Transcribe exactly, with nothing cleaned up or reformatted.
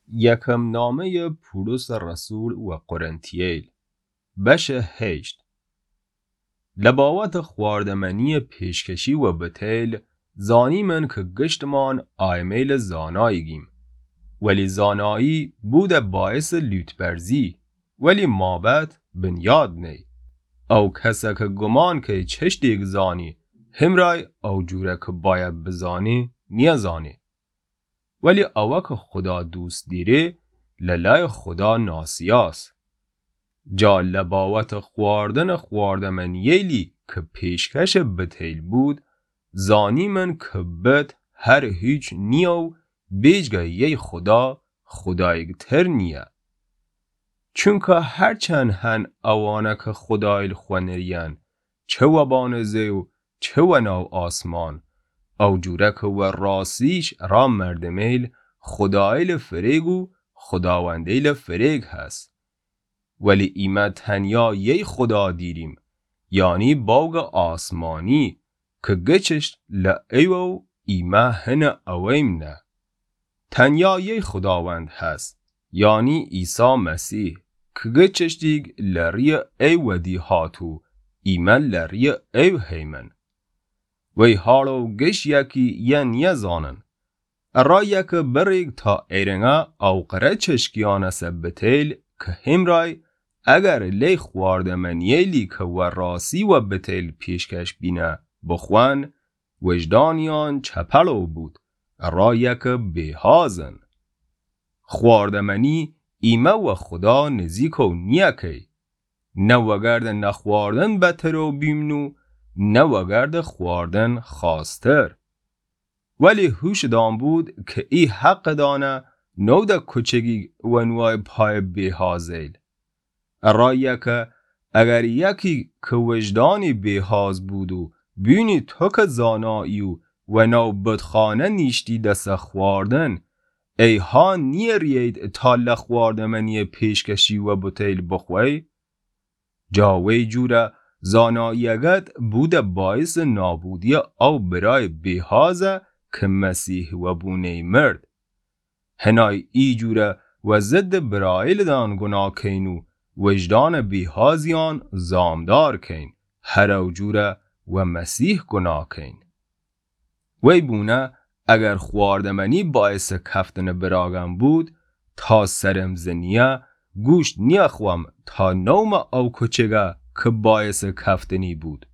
یکم نامهٔ پولس رسول و قرنتییل، بشٚ هیشت. لباوتٚ خواردمنییٚ پیشکشی و بتیل، زانیمن کی گشتمان آیمهیلٚ زانایی گیم. ولی زانایی بوده باعثٚ لوطبرزی، ولی مابت بنیاد نیی. او کس کی گومان کهی چشتیک زانی، همرای او جور کی بأید بزانی نیزانی. ولی او کی خودا دوست دیری، للأیٚ خودا ناسیاس. جا لباوتٚ خواردنٚ خواردمنییلی کی پیشکشٚ بتیل بود، زانیمن کی بت هر هیچ نییه و بیجگه یی خودا، خوداییک تر نییه. چونکی هرچند هن اوانه کی خوداییل خو نریین، چه وبانٚ زی و چه وناو آسمان، او جوره کی وراسیش را مردمهیل خوداییلٚ فریگ و خوداوندهیلٚ فریگ هس. ولی ایمه تنیا یی خودا دیریم، یعنی باوگٚ آسمانی، کی گچشت لأیوه و ایمه هنٚ اوییم نه. تنیا یی خوداوند هس، یعنی عیسی مسیح، کی گچشتیک لرییٚ ای ودی هات و ایمه لرییٚ ای هیمن. وی حال و گش یکی یه نیزانن. ارایه کی بریک تا ایرنگه او قره چشکیانٚ سه بتیل کی همرای اگر لی خواردمنییلی کی وراسی و بتیل پیشکش بینه بخوأن، وجدانیان چپلو بود، ارایه کی بیهازن. خواردمنی ایمه و خودا نزیکو نییه کهی. نه وگردٚ نخواردن بترو بیمن و نه وگردٚ خواردن خاستر. ولی هوش دأن بود کی ای حق دأنه نوده کوچگی ونوای پایٚ بیهازهیل. ارایه کی اگر یکی کی وجدانی بیهاز بود و بینی تو کی زانایی و وناو بتخانه نیشتی دسه خواردن، ای ها نیریید تا له خواردمنییٚ پیشکشی و بتیل بخوی؟ جا وی جوره زاناییگت بوده باعثٚ نابودییٚ او برایٚ بیهازه کی مسیح وبونهی مرد. هنای ای جوره و ضدٚ براییلٚ دأن گوناه کین و وجدانٚ بیهازیان زامدار کین، هر او جوره و مسیح گوناه کین. وی بونه اگر خواردمنی باعثٚ کفتنٚ براگم بود، تا سرم زنییه گوشت نیخوأم تا نومه او کوچگه کی باعثٚ کفتنی بود.